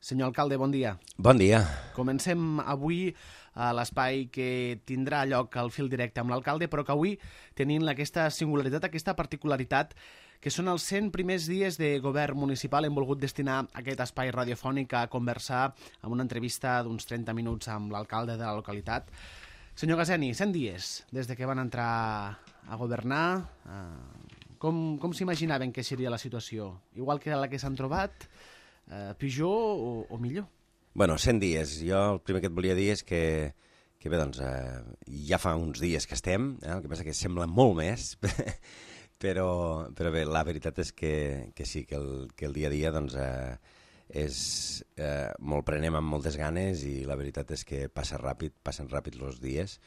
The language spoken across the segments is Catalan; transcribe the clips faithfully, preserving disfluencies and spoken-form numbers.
Senyor alcalde, bon dia. Bon dia. Comencem avui a l'espai que tindrà lloc al fil directe amb l'alcalde, però que avui tenint aquesta singularitat, aquesta particularitat, que són els cent primers dies de govern municipal, hem volgut destinar aquest espai radiofònic a conversar amb una entrevista d'uns trenta minuts amb l'alcalde de la localitat. Senyor Gazeni, cent dies des de que van entrar a governar. Com, com s'imaginaven que seria la situació? Igual que la que s'han trobat? Uh, pitjor o, o millor? Bueno, cent dies. Jo el primer que et volia dir és que, que bé, doncs, eh, ja fa uns dies que estem, eh? El que passa que sembla molt més, però, però bé, la veritat és que, que sí, que el, que el dia a dia doncs, eh, és, eh, molt prenem amb moltes ganes i la veritat és que passa ràpid, passen ràpid els dies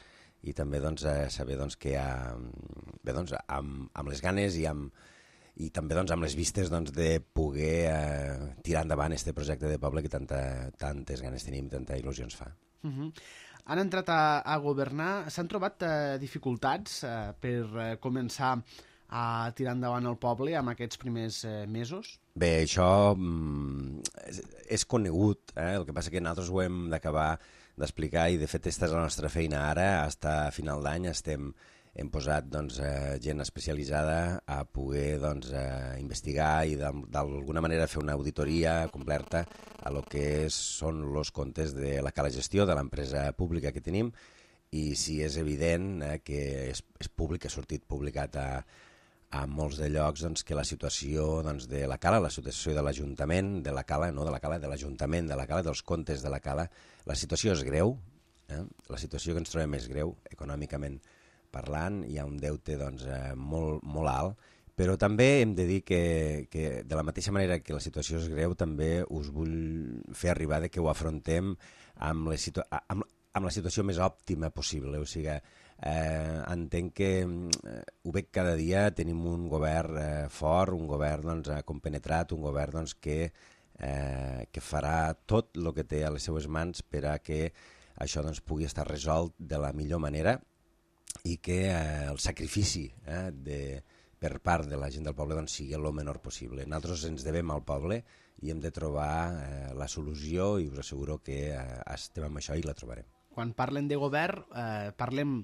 i també doncs, eh, saber doncs, que ha, bé, doncs, amb, amb les ganes i amb i també doncs, amb les vistes doncs, de poder eh, tirar endavant aquest projecte de poble que tanta, tantes ganes tenim i tanta il·lusió ens fa. Uh-huh. Han entrat a, a governar, s'han trobat eh, dificultats eh, per eh, començar a tirar endavant el poble amb aquests primers eh, mesos? Bé, això mm, és, és conegut, eh? El que passa que nosaltres ho hem d'acabar d'explicar i de fet aquesta és la nostra feina ara, fins a final d'any estem hem posat doncs, eh, gent especialitzada a poder doncs, eh, investigar i d'alguna manera fer una auditoria completa a lo que són els comptes de la cala gestió de l'empresa pública que tenim i si és evident eh, que és, és públic, ha sortit publicat a, a molts de llocs doncs, que la situació doncs, de la cala, la situació de l'Ajuntament, de la cala, no de la cala, de l'Ajuntament, de la cala, dels comptes de la cala, la situació és greu, eh? La situació que ens trobem és greu econòmicament parlant, hi ha un deute doncs, eh, molt, molt alt, però també hem de dir que, que de la mateixa manera que la situació és greu, també us vull fer arribar de que ho afrontem amb, les situa amb, amb la situació més òptima possible. O sigui, eh, entenc que eh, ho veig cada dia, tenim un govern eh, fort, un govern doncs, compenetrat, un govern doncs, que, eh, que farà tot el que té a les seues mans per a que això doncs, pugui estar resolt de la millor manera i que eh, el sacrifici eh, de, per part de la gent del poble doncs, sigui el menor possible. Nosaltres ens devem al poble i hem de trobar eh, la solució i us asseguro que eh, estem amb això i la trobarem. Quan parlen de govern, eh, parlem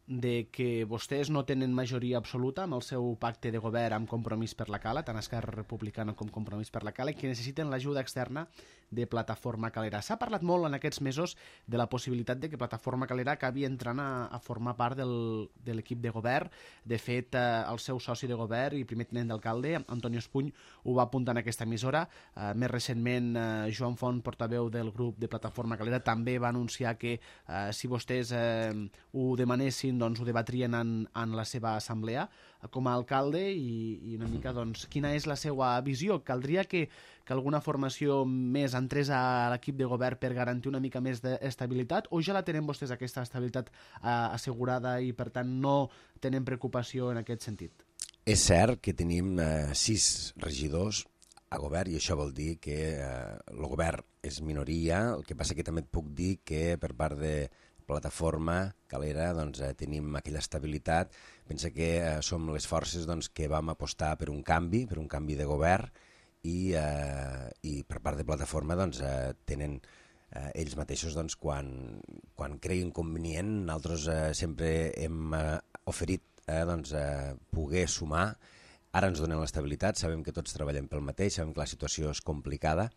de que vostès no tenen majoria absoluta amb el seu pacte de govern amb Compromís per la Cala, tant Esquerra Republicana com Compromís per la Cala, i que necessiten l'ajuda externa de Plataforma Calera. S'ha parlat molt en aquests mesos de la possibilitat de que Plataforma Calera acabi entrant a, a formar part del, de l'equip de govern. De fet, eh, el seu soci de govern i primer tinent d'alcalde, Antonio Espuny, ho va apuntar en aquesta emissora. Eh, més recentment, eh, Joan Font, portaveu del grup de Plataforma Calera, també va anunciar que eh, si vostès eh, ho demanessin doncs ho debatrien en, en la seva assemblea com a alcalde i, i una mica doncs, quina és la seva visió. Caldria que, que alguna formació més entrés a l'equip de govern per garantir una mica més d'estabilitat o ja la tenen vostès aquesta estabilitat eh, assegurada i per tant no tenen preocupació en aquest sentit? És cert que tenim eh, sis regidors a govern i això vol dir que eh, el govern és minoria, el que passa que també et puc dir que per part de Plataforma Calera doncs, eh, tenim aquella estabilitat. Pensa que eh, som les forces doncs, que vam apostar per un canvi, per un canvi de govern i, eh, i per part de Plataforma doncs, eh, tenen eh, ells mateixos doncs, quan, quan creguin convenient. Nosaltres eh, sempre hem eh, oferit eh, doncs, eh, poder sumar. Ara ens donen l'estabilitat, sabem que tots treballem pel mateix, sabem que la situació és complicada,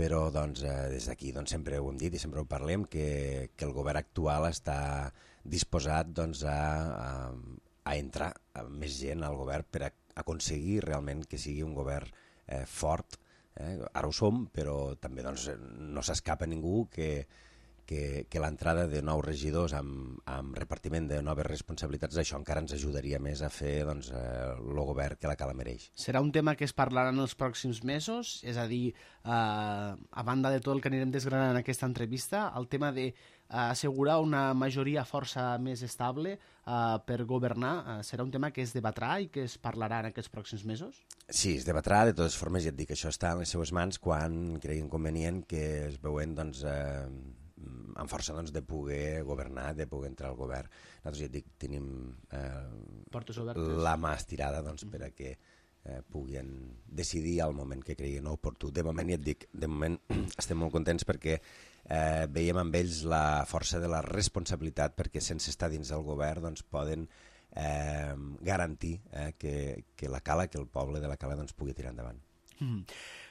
però doncs, eh, des d'aquí doncs, sempre ho hem dit i sempre ho parlem, que, que el govern actual està disposat doncs, a, a, a entrar a més gent al govern per a aconseguir realment que sigui un govern eh, fort. Eh? Ara ho som, però també doncs, no s'escapa ningú que, que, que l'entrada de nous regidors amb, amb repartiment de noves responsabilitats, això encara ens ajudaria més a fer doncs, eh, el govern que la Cala mereix. Serà un tema que es parlarà en els pròxims mesos, és a dir, eh, a banda de tot el que anirem desgranant en aquesta entrevista, el tema de eh, assegurar una majoria força més estable eh, per governar, eh, serà un tema que es debatrà i que es parlarà en aquests pròxims mesos? Sí, es debatrà, de totes formes ja et dic que això està en les seues mans quan creguin convenient que es veuen doncs, eh, amb força doncs, de poder governar, de poder entrar al govern. Nosaltres ja et dic, tenim eh, portes obertes, la mà estirada doncs, per a que eh, puguin decidir al moment que creguin oportú. De moment, ja et dic, de moment estem molt contents perquè eh, veiem amb ells la força de la responsabilitat, perquè sense estar dins del govern doncs, poden eh, garantir eh, que, que la Cala, que el poble de la Cala doncs, pugui tirar endavant. Mm.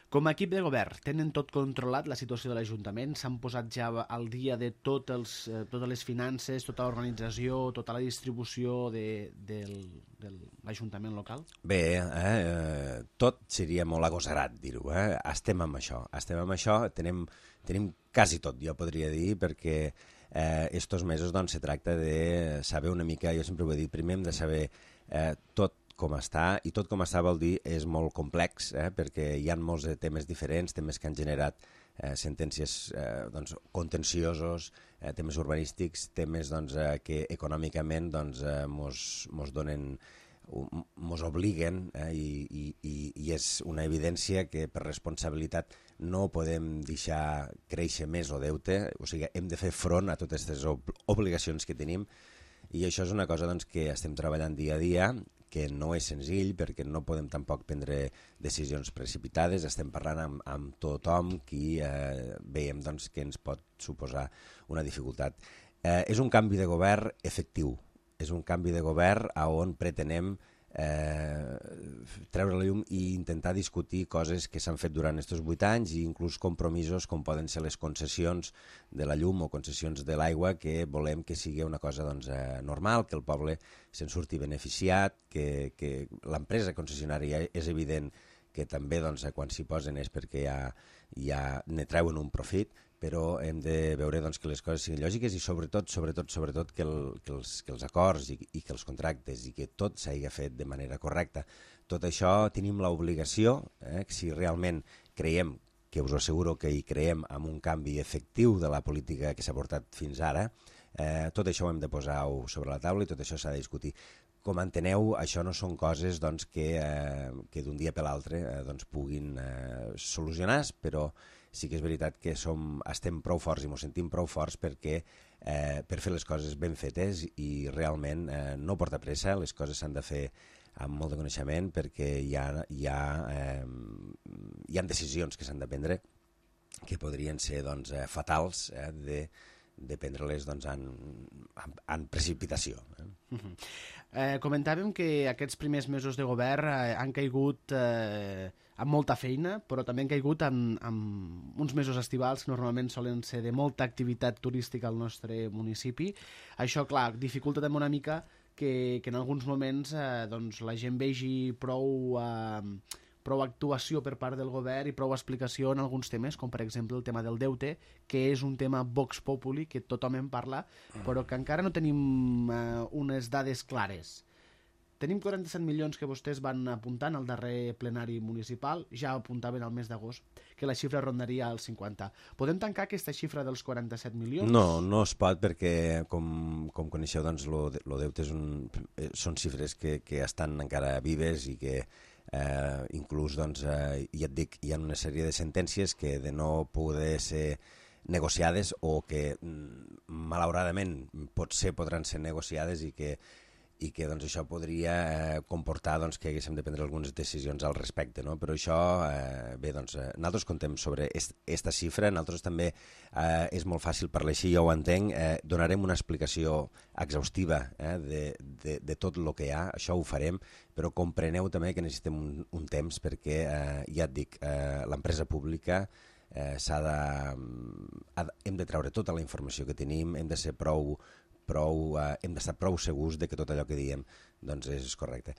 Com a equip de govern, tenen tot controlat la situació de l'Ajuntament? S'han posat ja al dia de tot els, eh, totes les finances, tota l'organització, tota la distribució de, del, de l'Ajuntament local? Bé, eh, tot seria molt agosarat dir-ho. Eh? Estem amb això, estem amb això, tenim, tenim quasi tot, jo podria dir, perquè eh, estos mesos doncs, se tracta de saber una mica, jo sempre ho he dit, primer hem de saber eh, tot com està, i tot com està vol dir és molt complex, eh, perquè hi ha molts temes diferents, temes que han generat eh, sentències eh, doncs, contenciosos, eh, temes urbanístics, temes doncs, eh, que econòmicament doncs, eh, mos, mos donen, mos obliguen, eh, i, i, i és una evidència que per responsabilitat no podem deixar créixer més el deute, o sigui, hem de fer front a totes aquestes ob obligacions que tenim, i això és una cosa doncs, que estem treballant dia a dia, que no és senzill perquè no podem tampoc prendre decisions precipitades, estem parlant amb, amb tothom qui eh, veiem doncs, que ens pot suposar una dificultat. Eh, és un canvi de govern efectiu, és un canvi de govern on pretenem eh, treure la llum i intentar discutir coses que s'han fet durant aquests vuit anys i inclús compromisos com poden ser les concessions de la llum o concessions de l'aigua, que volem que sigui una cosa doncs, eh, normal, que el poble se'n surti beneficiat, que, que l'empresa concessionària és evident que també doncs, quan s'hi posen és perquè ja, ja ne treuen un profit, però hem de veure doncs, que les coses siguin lògiques i sobretot, sobretot, sobretot que, el, que, els, que els acords i, i que els contractes i que tot s'hagi fet de manera correcta. Tot això tenim l'obligació, eh, que si realment creiem, que us asseguro que hi creiem en un canvi efectiu de la política que s'ha portat fins ara, eh, tot això ho hem de posar sobre la taula i tot això s'ha de discutir. Com enteneu, això no són coses doncs, que, eh, que d'un dia per l'altre eh, doncs, puguin eh, solucionar, però sí que és veritat que som, estem prou forts i ens sentim prou forts perquè eh, per fer les coses ben fetes i realment eh, no porta pressa, les coses s'han de fer amb molt de coneixement perquè hi ha, hi ha, eh, hi ha decisions que s'han de prendre que podrien ser doncs, eh, fatals eh, de, de prendre-les doncs, en, en, en precipitació. Eh? Uh-huh. eh, comentàvem que aquests primers mesos de govern eh, han caigut eh, amb molta feina, però també han caigut en, en uns mesos estivals que normalment solen ser de molta activitat turística al nostre municipi. Això, clar, dificulta també una mica que, que en alguns moments eh, doncs, la gent vegi prou, eh, prou actuació per part del govern i prou explicació en alguns temes, com per exemple el tema del deute, que és un tema vox populi, que tothom en parla, però que encara no tenim eh, unes dades clares. Tenim quaranta-set milions que vostès van apuntant al darrer plenari municipal, ja apuntaven al mes d'agost, que la xifra rondaria als cinquanta. Podem tancar aquesta xifra dels quaranta-set milions? No, no es pot perquè, com, com coneixeu, doncs, lo, lo deute és un, són xifres que, que estan encara vives i que eh, inclús, doncs, eh, ja et dic, hi ha una sèrie de sentències que de no poder ser negociades o que, malauradament, potser podran ser negociades i que i que doncs, això podria eh, comportar doncs, que haguéssim de prendre algunes decisions al respecte, no? Però això, eh, bé, doncs, eh, nosaltres contem sobre aquesta xifra, nosaltres també eh, és molt fàcil parlar així, jo ho entenc, eh, donarem una explicació exhaustiva eh, de, de, de tot el que hi ha, això ho farem, però compreneu també que necessitem un, un temps perquè, eh, ja et dic, eh, l'empresa pública eh, s'ha de... hem de treure tota la informació que tenim, hem de ser prou prou, eh, hem d'estar prou segurs de que tot allò que diem doncs, és correcte.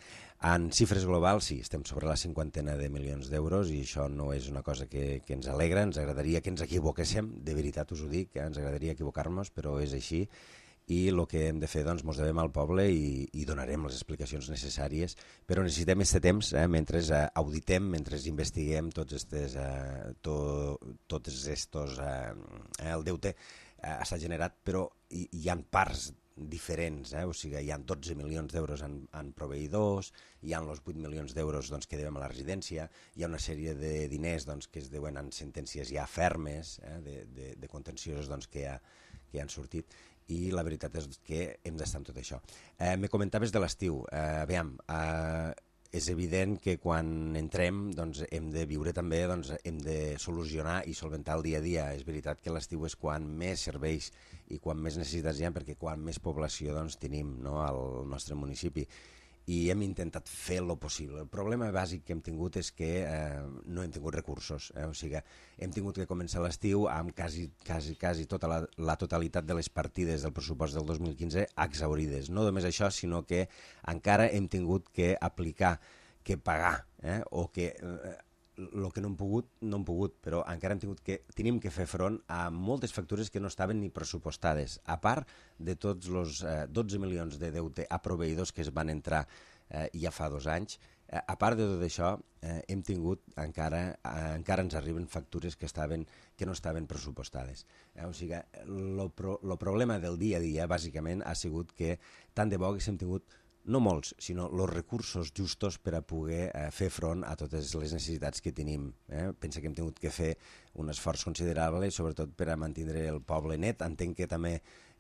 En xifres globals, sí, estem sobre la cinquantena de milions d'euros i això no és una cosa que, que ens alegra, ens agradaria que ens equivoquéssim, de veritat us ho dic, eh, ens agradaria equivocar-nos, però és així, i el que hem de fer, doncs, mos devem al poble i, i donarem les explicacions necessàries, però necessitem aquest temps, eh, mentre eh, auditem, mentre investiguem tots estes, eh, to, tots estos, eh, el deute ha estat generat, però hi, hi ha parts diferents, eh? O sigui, hi ha dotze milions d'euros en, en proveïdors, hi ha els vuit milions d'euros doncs, que devem a la residència, hi ha una sèrie de diners doncs, que es deuen en sentències ja fermes, eh? de, de, de contenciosos doncs, que, ha, que han sortit, i la veritat és que hem d'estar en tot això. Eh, me comentaves de l'estiu. Eh, aviam, eh, és evident que quan entrem doncs, hem de viure també, doncs, hem de solucionar i solventar el dia a dia. És veritat que l'estiu és quan més serveis i quan més necessitats hi ha, perquè quan més població doncs, tenim, no?, al nostre municipi. I hem intentat fer el possible. El problema bàsic que hem tingut és que eh, no hem tingut recursos. Eh? O sigui, hem tingut que començar l'estiu amb quasi, quasi, quasi tota la, la totalitat de les partides del pressupost del dos mil quinze exhaurides. No només això, sinó que encara hem tingut que aplicar, que pagar, eh? o que... Eh, el que no hem pogut, no hem pogut, però encara hem tingut que, tenim que fer front a moltes factures que no estaven ni pressupostades, a part de tots els eh, dotze milions de deute a proveïdors que es van entrar eh, ja fa dos anys. Eh, a part de tot això, eh, hem tingut, encara, eh, encara ens arriben factures que, estaven, que no estaven pressupostades. Eh, o sigui, el pro, problema del dia a dia, bàsicament, ha sigut que tant de bo haguéssim tingut no molts, sinó els recursos justos per a poder eh, fer front a totes les necessitats que tenim. Eh? Pensa que hem tingut que fer un esforç considerable, sobretot per a mantenir el poble net. Entenc que també,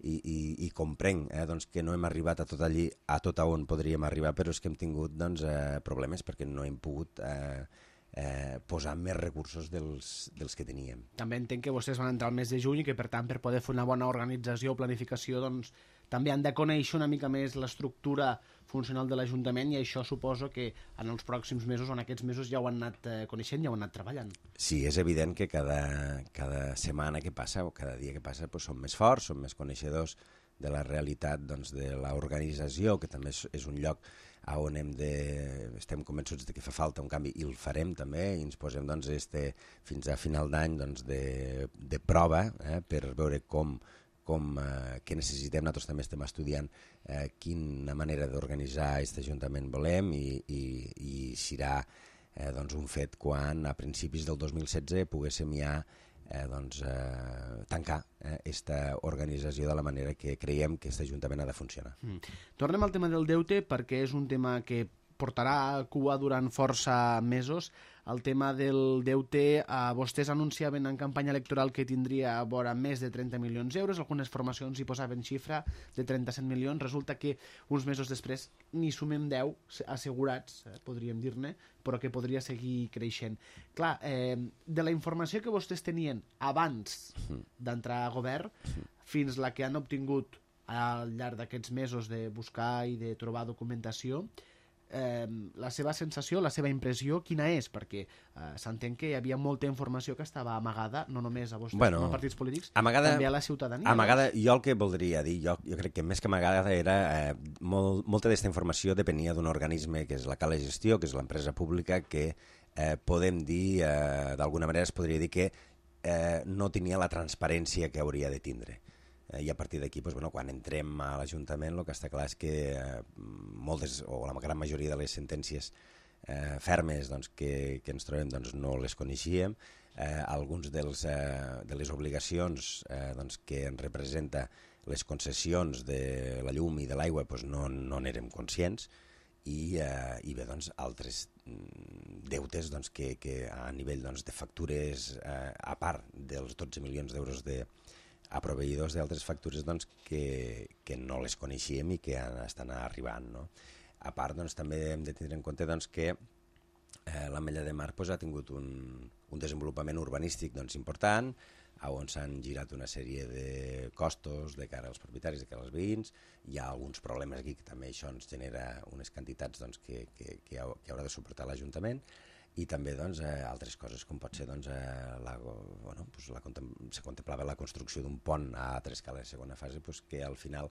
i, i, i comprenc, eh, doncs que no hem arribat a tot allí, a tot on podríem arribar, però és que hem tingut doncs, eh, problemes perquè no hem pogut eh, eh, posar més recursos dels, dels que teníem. També entenc que vostès van entrar al mes de juny i que, per tant, per poder fer una bona organització o planificació, doncs, també han de conèixer una mica més l'estructura funcional de l'Ajuntament, i això suposo que en els pròxims mesos o en aquests mesos ja ho han anat eh, coneixent, ja ho han anat treballant. Sí, és evident que cada, cada setmana que passa o cada dia que passa pues, som més forts, som més coneixedors de la realitat doncs, de l'organització, que també és, és un lloc on hem de, estem convençuts de que fa falta un canvi, i el farem també, i ens posem doncs, este, fins a final d'any doncs, de, de prova eh, per veure com com eh, què necessitem. Nosaltres també estem estudiant eh, quina manera d'organitzar aquest Ajuntament volem, i, i, i serà eh, doncs un fet quan a principis del dos mil setze poguéssim ja eh, doncs, eh, tancar aquesta eh, organització de la manera que creiem que aquest Ajuntament ha de funcionar. Mm. Tornem al tema del deute, perquè és un tema que portarà cua durant força mesos. El tema del deute, eh, vostès anunciaven en campanya electoral que tindria a vora més de trenta milions d'euros, algunes formacions hi posaven xifra de trenta-set milions, resulta que uns mesos després n'hi sumem deu assegurats, eh, podríem dir-ne, però que podria seguir creixent. Clar, eh, de la informació que vostès tenien abans d'entrar a govern fins la que han obtingut al llarg d'aquests mesos de buscar i de trobar documentació, Eh, la seva sensació, la seva impressió, quina és? Perquè eh, s'entén que hi havia molta informació que estava amagada, no només a vostès bueno, com a partits polítics, amagada, també a la ciutadania. Amagada, no? Jo el que voldria dir, jo, jo crec que més que amagada era, eh, molt, molta d'aquesta informació depenia d'un organisme que és la Cala Gestió, que és l'empresa pública, que eh, podem dir, eh, d'alguna manera es podria dir que eh, no tenia la transparència que hauria de tindre. I a partir d'aquí, doncs, bueno, quan entrem a l'Ajuntament, el que està clar és que eh, moltes, o la gran majoria de les sentències eh, fermes doncs, que, que ens trobem doncs, no les coneixíem. Eh, alguns dels, eh, de les obligacions eh, doncs, que ens representa les concessions de la llum i de l'aigua doncs, no n'érem no conscients, i, eh, i bé, doncs, altres deutes doncs, que, que a nivell doncs, de factures, eh, a part dels dotze milions d'euros de a proveïdors d'altres factures doncs, que, que no les coneixíem i que estan arribant. No? A part, doncs, també hem de tenir en compte doncs, que eh, l'Ametlla de Mar doncs, ha tingut un, un desenvolupament urbanístic doncs, important, on s'han girat una sèrie de costos de cara als propietaris, de cara als veïns. Hi ha alguns problemes aquí que també això ens genera unes quantitats doncs, que, que, que, ha, que haurà de suportar l'Ajuntament. I també doncs, eh, altres coses, com pot ser doncs, eh, la, bueno, pues la, se contemplava la construcció d'un pont a tres escales de segona fase, pues, que al final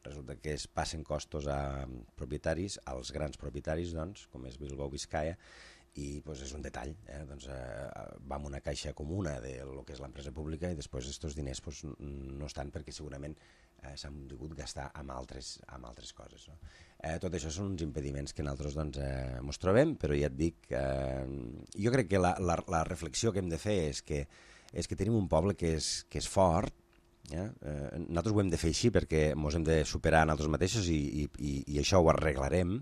resulta que es passen costos a propietaris, als grans propietaris, doncs, com és Bilbao Vizcaya, i pues, és un detall. Eh? Doncs, eh, va amb una caixa comuna de lo que és l'empresa pública, i després aquests diners pues, no estan perquè segurament eh, s'han pogut gastar amb altres, amb altres coses. No? Eh, tot això són uns impediments que nosaltres doncs, eh, mos trobem, però ja et dic, eh, jo crec que la, la, la reflexió que hem de fer és que, és que tenim un poble que és, que és fort. Eh? Eh, nosaltres ho hem de fer així perquè ens hem de superar nosaltres mateixos, i, i, i, i això ho arreglarem.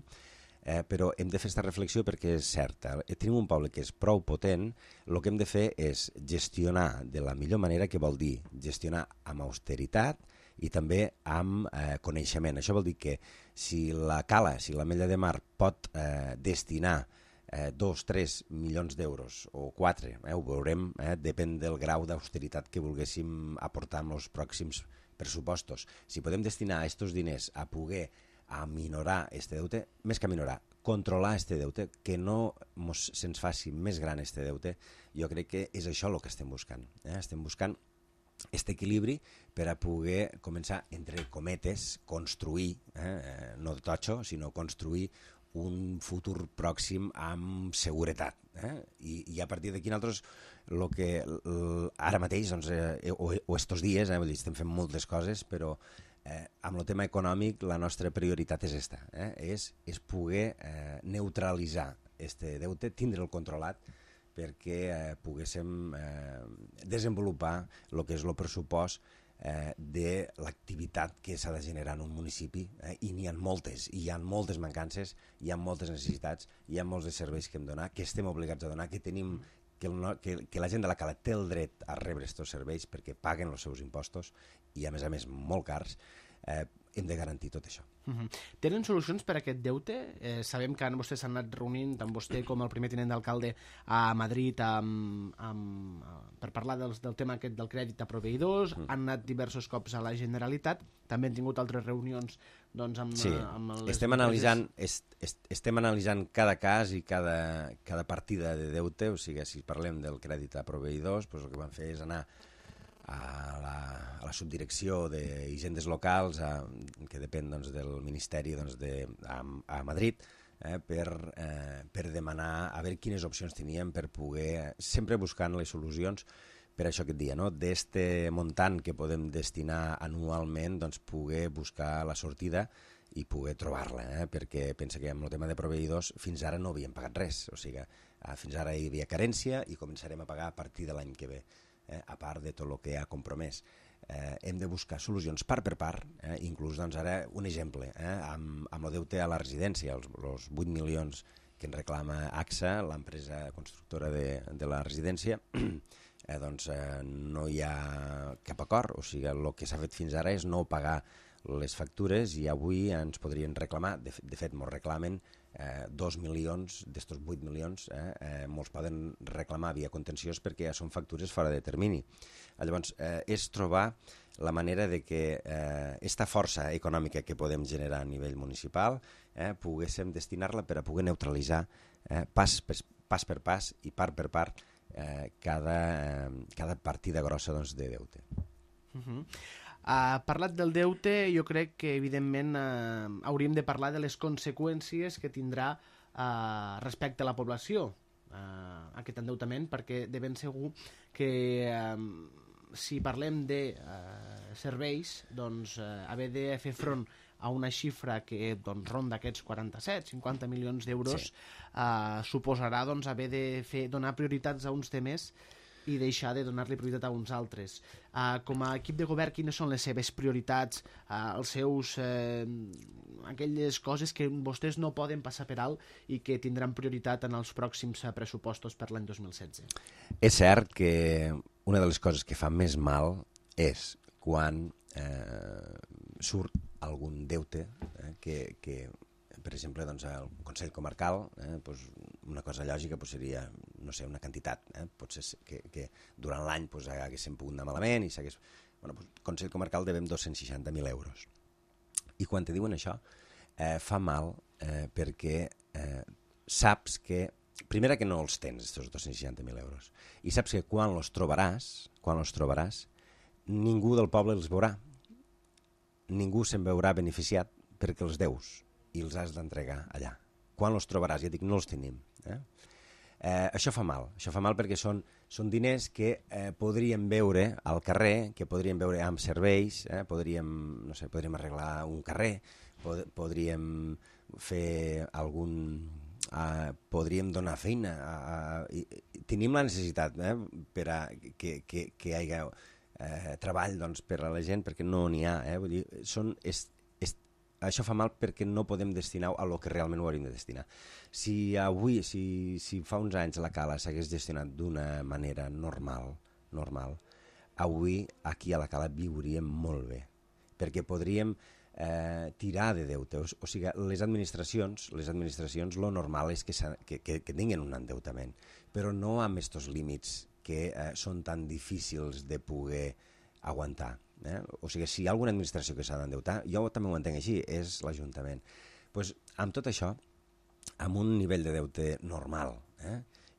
Eh, però hem de fer aquesta reflexió perquè és certa. Tenim un poble que és prou potent, el que hem de fer és gestionar de la millor manera, que vol dir gestionar amb austeritat i també amb eh, coneixement. Això vol dir que si la Cala, si l'Ametlla de Mar pot eh, destinar eh, dos, tres milions d'euros o quatre, eh, ho veurem, eh, depèn del grau d'austeritat que volguéssim aportar en els pròxims pressupostos. Si podem destinar aquests diners a poder aminorar este deute, més que aminorar, controlar este deute, que no mos, se'ns faci més gran este deute, jo crec que és això el que estem buscant. Eh? Estem buscant aquest equilibri per a poder començar, entre cometes, construir, eh, no de totxo, sinó construir un futur pròxim amb seguretat. Eh? I, I a partir d'aquí nosaltres, lo que, l, ara mateix, doncs, eh, o, o estos dies, eh, vull dir, estem fent moltes coses, però eh, amb el tema econòmic la nostra prioritat és esta, eh? és, és poder eh, neutralitzar este deute, tindre'l controlat, perquè eh, poguéssim eh, desenvolupar el que és el pressupost eh, de l'activitat que s'ha de generar en un municipi, eh, i n'hi ha moltes, i hi ha moltes mancances, hi ha moltes necessitats, hi ha molts de serveis que hem de donar, que estem obligats a donar, que tenim que, el, que, que la gent de la Cala té el dret a rebre aquests serveis perquè paguen els seus impostos i a més a més molt cars. Eh, hem de garantir tot això. Uh-huh. Tenen solucions per a aquest deute? Eh, sabem que vostès s'han anat reunint, tant vostè com el primer tinent d'alcalde, a Madrid amb, amb, per parlar dels, del tema aquest del crèdit a proveïdors, uh-huh. han anat diversos cops a la Generalitat, també han tingut altres reunions doncs, amb, sí. amb les estem analitzant, est, est, estem analitzant cada cas i cada, cada partida de deute, o sigui, si parlem del crèdit a proveïdors, doncs el que van fer és anar a la, a la subdirecció d'Hisendes Locals, a, que depèn doncs, del Ministeri doncs, de, a, a Madrid, eh, per, eh, per demanar a veure quines opcions teníem per poder, sempre buscant les solucions per això que et dia, no? D'este muntant que podem destinar anualment, doncs, poder buscar la sortida i poder trobar-la, eh? Perquè pensa que amb el tema de proveïdors fins ara no havíem pagat res, o sigui, fins ara hi havia carència i començarem a pagar a partir de l'any que ve. Eh, a part de tot el que ha compromès. Eh, hem de buscar solucions part per part, eh, inclús doncs, ara un exemple, eh, amb, amb el deute a la residència, els, els vuit milions que ens reclama A X A, l'empresa constructora de, de la residència, eh, doncs eh, no hi ha cap acord, o sigui, el que s'ha fet fins ara és no pagar les factures i avui ens podrien reclamar, de, de fet ens reclamen eh, dos milions d'estos vuit milions, eh, eh, molts poden reclamar via contenciós perquè ja són factures fora de termini. Llavors, eh, és trobar la manera de que eh, esta força econòmica que podem generar a nivell municipal eh, poguéssim destinar-la per a poder neutralitzar eh, pas, per, pas per pas i part per part eh, cada, eh, cada partida grossa doncs, de deute. Uh-huh. Uh, parlat del deute, jo crec que evidentment uh, hauríem de parlar de les conseqüències que tindrà uh, respecte a la població uh, aquest endeutament, perquè de ben segur que um, si parlem de uh, serveis, doncs uh, haver de fer front a una xifra que doncs, ronda aquests quaranta-set cinquanta milions d'euros, sí. uh, suposarà doncs, haver de fer, donar prioritats a uns temes i deixar de donar-li prioritat a uns altres. Uh, com a equip de govern, quines són les seves prioritats, uh, els seus, eh, aquelles coses que vostès no poden passar per alt i que tindran prioritat en els pròxims pressupostos per l'any dos mil setze? És cert que una de les coses que fa més mal és quan eh, surt algun deute eh, que, que per exemple, doncs, el Consell Comarcal, eh, doncs, una cosa lògica doncs, seria, no sé, una quantitat, eh, potser que, que durant l'any doncs, haguéssim pogut anar malament i s'hagués... Bueno, doncs, Consell Comarcal devem dos-cents seixanta mil euros. I quan te diuen això, eh, fa mal eh, perquè eh, saps que, primera que no els tens, aquests dos-cents seixanta mil euros, i saps que quan els trobaràs, quan els trobaràs, ningú del poble els veurà. Ningú se'n veurà beneficiat perquè els deus i els has d'entregar allà. Quan els trobaràs? Ja dic, no els tenim. Eh? Eh, això fa mal. Això fa mal perquè són, són diners que eh, podríem veure al carrer, que podríem veure amb serveis, eh? podríem, no sé, podríem arreglar un carrer, pod podríem fer algun... Eh, podríem donar feina. A, a, i, tenim la necessitat eh? per a que, que, que hi hagi eh, treball doncs, per a la gent, perquè no n'hi ha. Eh? Vull dir, són... És, això fa mal perquè no podem destinar a lo que realment ho hauríem de destinar. Si avui, si, si fa uns anys la Cala s'hagués gestionat d'una manera normal, normal, avui aquí a la Cala viuríem molt bé. perquè podríem eh, tirar de deute. O, o sigui, les administracions, les administracions, lo normal és que, que, que, que tinguin un endeutament, però no amb aquests límits que eh, són tan difícils de poder aguantar. Eh? O sigui, si hi ha alguna administració que s'ha d'endeutar, jo també ho entenc així, és l'Ajuntament. Pues, amb tot això, amb un nivell de deute normal, eh?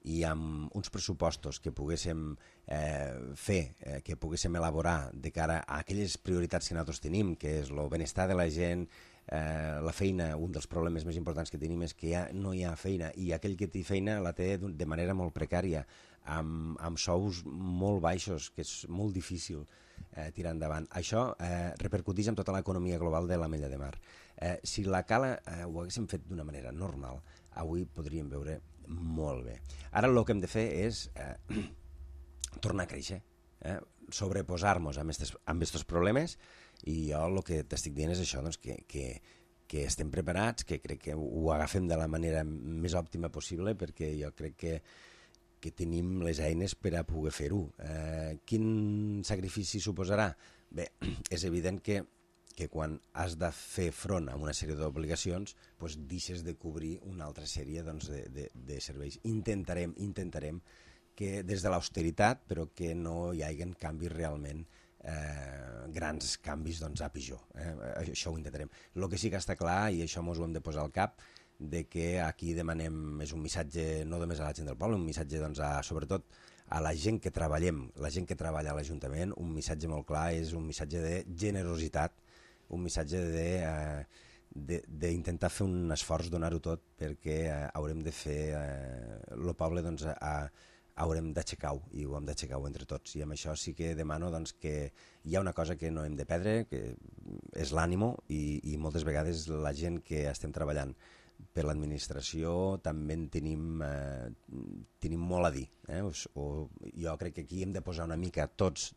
i amb uns pressupostos que poguéssim eh, fer, eh, que poguéssim elaborar de cara a aquelles prioritats que nosaltres tenim, que és el benestar de la gent, eh, la feina. Un dels problemes més importants que tenim és que ja no hi ha feina, i aquell que té feina la té de manera molt precària, amb, amb sous molt baixos, que és molt difícil eh, tirar endavant. Això eh, repercuteix en tota l'economia global de l'Ametlla de Mar. Eh, si la cala eh, ho haguéssim fet d'una manera normal, avui podríem veure molt bé. Ara el que hem de fer és eh, tornar a créixer, eh? sobreposar-nos amb aquests problemes, i jo el que t'estic dient és això, doncs, que, que, que estem preparats, que crec que ho agafem de la manera més òptima possible, perquè jo crec que que tenim les eines per a poder fer-ho. Eh, quin sacrifici suposarà? Bé, és evident que, que quan has de fer front a una sèrie d'obligacions, doncs deixes de cobrir una altra sèrie doncs, de, de, de serveis. Intentarem, intentarem que des de l'austeritat, però que no hi hagi canvis realment, eh, grans canvis doncs, a pitjor. Eh? Això ho intentarem. El que sí que està clar, i això ens ho hem de posar al cap, de que aquí demanem, és un missatge no només a la gent del poble, un missatge doncs, a, sobretot a la gent que treballem, la gent que treballa a l'Ajuntament, un missatge molt clar, és un missatge de generositat, un missatge de, eh, d'intentar fer un esforç, donar-ho tot, perquè eh, haurem de fer, el eh, poble doncs, a, haurem d'aixecar-ho, i ho hem d'aixecar-ho entre tots, i amb això sí que demano doncs, que hi ha una cosa que no hem de perdre, que és l'ànimo, i, i moltes vegades la gent que estem treballant per l'administració també en tenim, eh, tenim molt a dir. Eh? O, o, jo crec que aquí hem de posar una mica tots,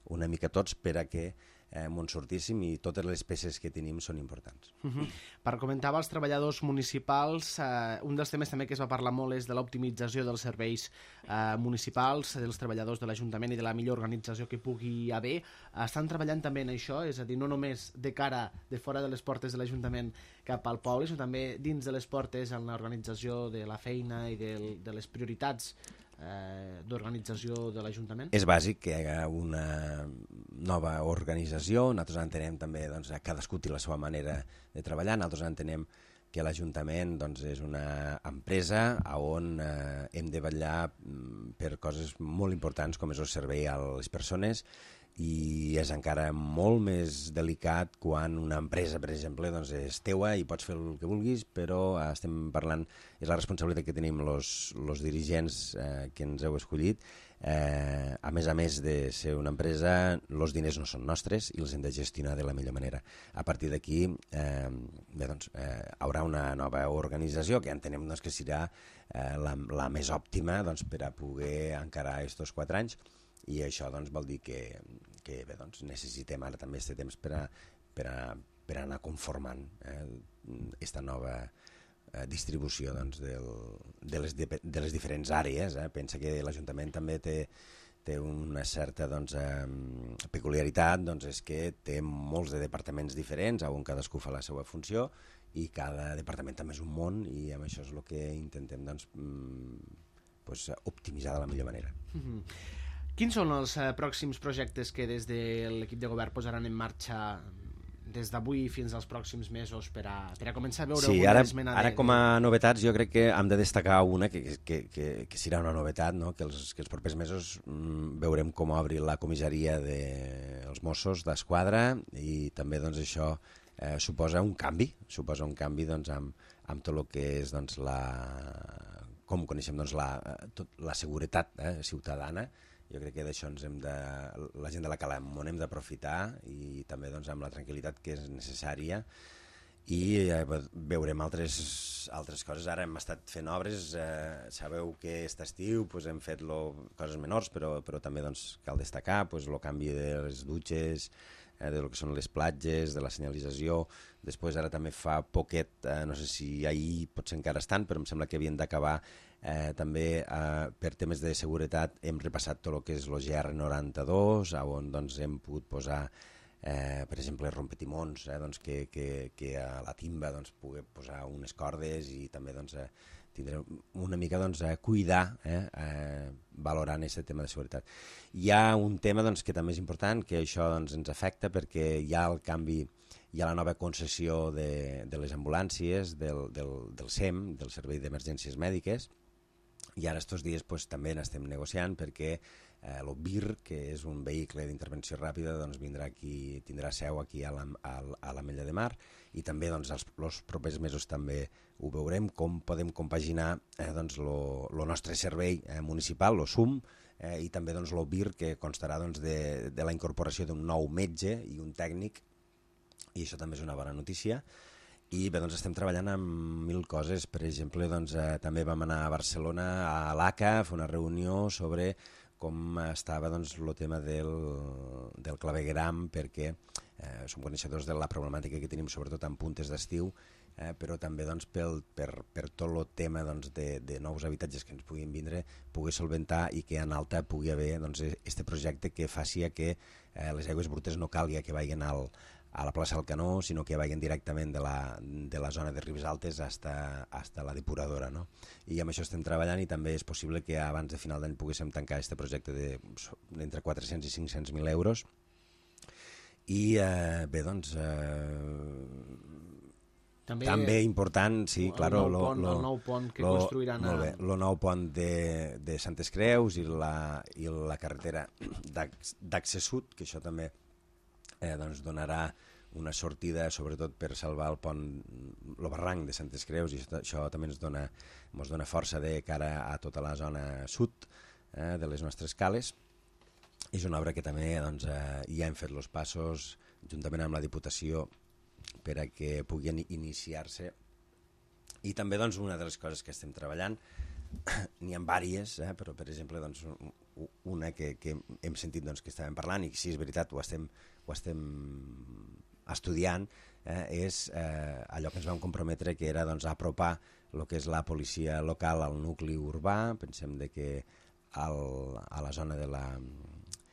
una mica tots per a que eh, m'on sortíssim, i totes les peces que tenim són importants. Uh-huh. Per comentar als treballadors municipals, eh, un dels temes també que es va parlar molt és de l'optimització dels serveis eh, municipals, dels treballadors de l'Ajuntament, i de la millor organització que pugui haver. Estan treballant també en això, és a dir, no només de cara de fora de les portes de l'Ajuntament cap al poble, sinó també dins de les portes en l'organització de la feina i de, de les prioritats eh, d'organització de l'Ajuntament? És bàsic que hi hagi una nova organització. Nosaltres entenem també doncs, que cadascú té la seva manera de treballar. Nosaltres entenem que l'Ajuntament doncs, és una empresa on eh, hem de vetllar per coses molt importants com és el servei a les persones, i és encara molt més delicat quan una empresa, per exemple, doncs és teua i pots fer el que vulguis, però estem parlant, és la responsabilitat que tenim els dirigents eh, que ens heu escollit. Eh, a més a més de ser una empresa, els diners no són nostres i els hem de gestionar de la millor manera. A partir d'aquí eh, bé, doncs, eh, haurà una nova organització que entenem doncs, que serà eh, la, la més òptima doncs, per a poder encarar aquests quatre anys, i això doncs, vol dir que, que bé, doncs, necessitem ara també aquest temps per, a, per, a, per a anar conformant aquesta eh, nova eh, distribució doncs, del, de, les, de les diferents àrees. Eh? Pensa que l'Ajuntament també té, té una certa doncs, eh, peculiaritat, doncs, és que té molts de departaments diferents on cadascú fa la seva funció, i cada departament també és un món, i amb això és el que intentem doncs, doncs, optimitzar de la millor manera. Mm-hmm. Quins són els eh, pròxims projectes que des de l'equip de govern posaran en marxa des d'avui fins als pròxims mesos per a, per a començar a veure sí, alguna ara, esmena? Ara de, com a novetats jo crec que hem de destacar una que, que, que, que serà una novetat, no? que, els, que els propers mesos mm, veurem com obri la comissaria dels de, Mossos d'Esquadra, i també doncs, això eh, suposa un canvi, suposa un canvi doncs, amb, amb tot el que és doncs, la, com coneixem doncs, la, tot, la seguretat eh, ciutadana. Jo crec que d'això ens hem de, la gent de la Cala on hem d'aprofitar, i també doncs, amb la tranquil·litat que és necessària, i eh, veurem altres, altres coses. Ara hem estat fent obres, eh, sabeu que aquest estiu pues, hem fet lo, coses menors, però, però també doncs, cal destacar pues, el canvi de les dutxes, eh, de lo que són les platges, de la senyalització. Després ara també fa poquet, eh, no sé si ahir potser encara estan, però em sembla que havien d'acabar eh, també eh, per temes de seguretat hem repassat tot el que és el G R noranta-dos, on doncs, hem pogut posar eh, per exemple, rompetimons, eh, doncs que, que, que a la timba doncs, pugui posar unes cordes i també doncs, eh, tindré una mica doncs, a cuidar, eh, eh, valorant aquest tema de seguretat. Hi ha un tema doncs, que també és important, que això doncs, ens afecta perquè hi ha el canvi, hi ha la nova concessió de, de les ambulàncies, del, del, del S E M, del Servei d'Emergències Mèdiques, i ara estos dies pues, també n'estem negociant perquè eh, l'O B I R, que és un vehicle d'intervenció ràpida, doncs, vindrà aquí, tindrà seu aquí a la, a, a l'Ametlla de Mar, i també doncs, els, els propers mesos també ho veurem, com podem compaginar eh, doncs, lo, lo nostre servei eh, municipal, lo S U M, eh, i també doncs, l'O B I R, que constarà doncs, de, de la incorporació d'un nou metge i un tècnic, i això també és una bona notícia. I bé, doncs estem treballant amb mil coses. Per exemple, doncs, eh, també vam anar a Barcelona, a l'A C A, a fer una reunió sobre com estava doncs, el tema del, del clavegueram, perquè eh, som coneixedors de la problemàtica que tenim, sobretot en puntes d'estiu, eh, però també doncs, pel, per, per tot el tema doncs, de, de nous habitatges que ens puguin vindre, pugui solventar i que en alta pugui haver doncs, este projecte que faci que eh, les aigües brutes no calgui que vagin al, a la plaça del Canó, sinó que vagin directament de la, de la zona de Ribes Altes hasta, hasta la depuradora, no? I amb això estem treballant i també és possible que abans de final d'any poguéssim tancar aquest projecte d'entre quatre-cents i cinc-cents mil euros. I eh, bé, doncs... Eh, també, també important, sí, el claro, nou lo, pont, lo, el nou pont que lo, construiran molt bé, el nou pont de, de Santes Creus i la, i la carretera d'Accés Sud, que això també eh, doncs donarà una sortida, sobretot per salvar el pont, el barranc de Santes Creus, i això, això també ens dona, ens dona força de cara a tota la zona sud eh, de les nostres cales. És una obra que també doncs, eh, ja hem fet els passos, juntament amb la Diputació, per a que puguin iniciar-se. I també doncs, una de les coses que estem treballant, n'hi ha diverses, eh, però per exemple doncs, una que, que hem sentit doncs, que estàvem parlant, i sí, és veritat, ho estem, ho estem estudiant, eh, és eh, allò que ens vam comprometre, que era doncs, apropar el que és la policia local al nucli urbà. Pensem de que al, a la zona de la...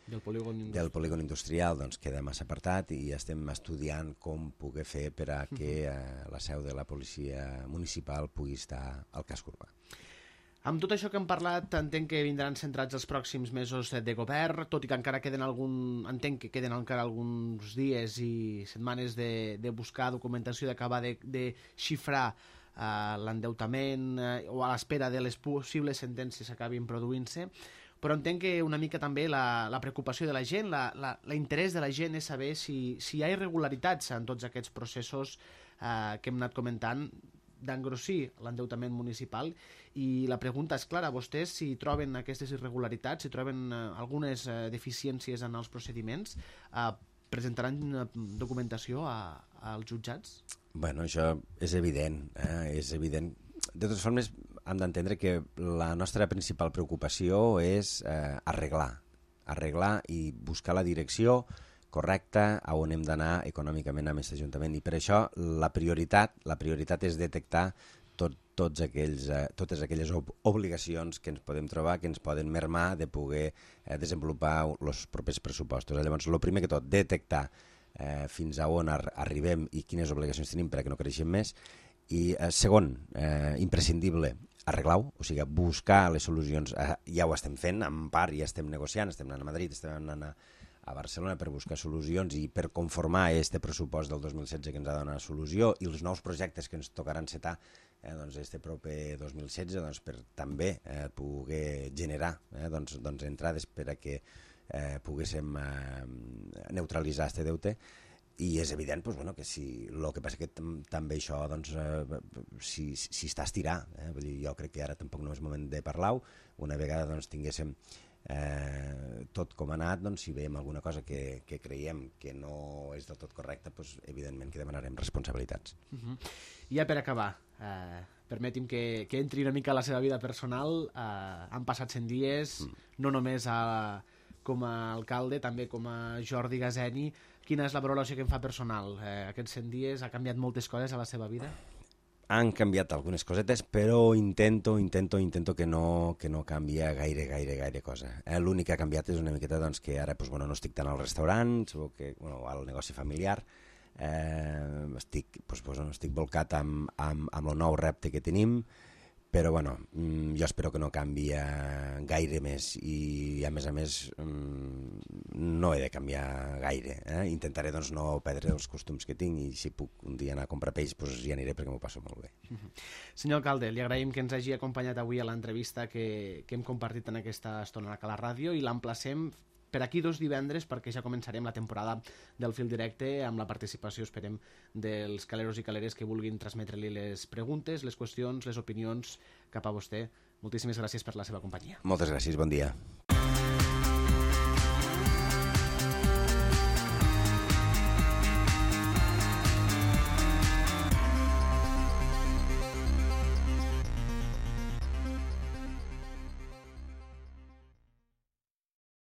del polígon industrial, del polígon industrial doncs, queda massa apartat, i estem estudiant com poder fer per a que eh, la seu de la policia municipal pugui estar al casc urbà. Amb tot això que hem parlat, entenc que vindran centrats els pròxims mesos de govern, tot i que encara queden algun, entenc que queden encara alguns dies i setmanes de, de buscar documentació, d'acabar de, de xifrar eh, l'endeutament eh, o a l'espera de les possibles sentències que acabin produint-se. Però entenc que una mica també la, la preocupació de la gent, l'interès de la gent és saber si, si hi ha irregularitats en tots aquests processos eh, que hem anat comentant d'engrossir l'endeutament municipal. I la pregunta és clara, vostès si troben aquestes irregularitats, si troben eh, algunes eh, deficiències en els procediments, eh, presentaran eh, documentació a, als jutjats? Bueno, això és evident, eh? és evident. De totes formes, hem d'entendre que la nostra principal preocupació és eh, arreglar, arreglar i buscar la direcció correcta a on hem d'anar econòmicament amb aquest Ajuntament. I per això la prioritat, la prioritat és detectar tot, tots aquells, eh, totes aquelles ob obligacions que ens podem trobar, que ens poden mermar de poder eh, desenvolupar els propers pressupostos. Llavors, el primer que tot, detectar eh, fins a on ar arribem i quines obligacions tenim perquè no creixem més. I eh, segon, eh, imprescindible, arreglar-ho, o sigui, buscar les solucions. Eh, ja ho estem fent, en part ja estem negociant, estem anant a Madrid, estem anant a, a Barcelona per buscar solucions i per conformar este pressupost del dos mil setze que ens ha de donar solució, i els nous projectes que ens tocaran encetar eh, doncs este proper dos mil setze doncs, per també eh, poder generar eh, doncs, doncs entrades per a que eh, poguéssim eh, neutralitzar este deute. I és evident doncs, bueno, que si el que passa que també això doncs, eh, si, si està a estirar, eh? Vull dir, jo crec que ara tampoc no és moment de parlar-ho. Una vegada doncs, tinguéssim eh, tot com ha anat, doncs, si veiem alguna cosa que, que creiem que no és del tot correcta, doncs, evidentment que demanarem responsabilitats. Uh-huh. I ja per acabar, eh, permeti'm que, que entri una mica a la seva vida personal. Eh, han passat cent dies, mm. no només a, com a alcalde, també com a Jordi Gazeni. Quina és la valoració que em fa personal? Eh, aquests cent dies ha canviat moltes coses a la seva vida? han canviat algunes cosetes, però intento, intento, intento que no, que no canvia gaire, gaire, gaire cosa. Eh? L'únic que ha canviat és una miqueta doncs, que ara pues, bueno, no estic tant al restaurant, segur que bueno, al negoci familiar, eh, estic, pues, pues, no, estic volcat amb, amb, amb el nou repte que tenim, però bueno, jo espero que no canvi gaire més i a més a més no he de canviar gaire. Eh? Intentaré doncs, no perdre els costums que tinc i si puc un dia anar a comprar peix doncs hi aniré perquè m'ho passo molt bé. Uh-huh. Senyor alcalde, li agraïm que ens hagi acompanyat avui a l'entrevista que, que hem compartit en aquesta estona a la ràdio i l'emplacem per aquí dos divendres perquè ja començarem la temporada del fil directe amb la participació, esperem, dels caleros i caleres que vulguin transmetre-li les preguntes, les qüestions, les opinions cap a vostè. Moltíssimes gràcies per la seva companyia. Moltes gràcies, bon dia.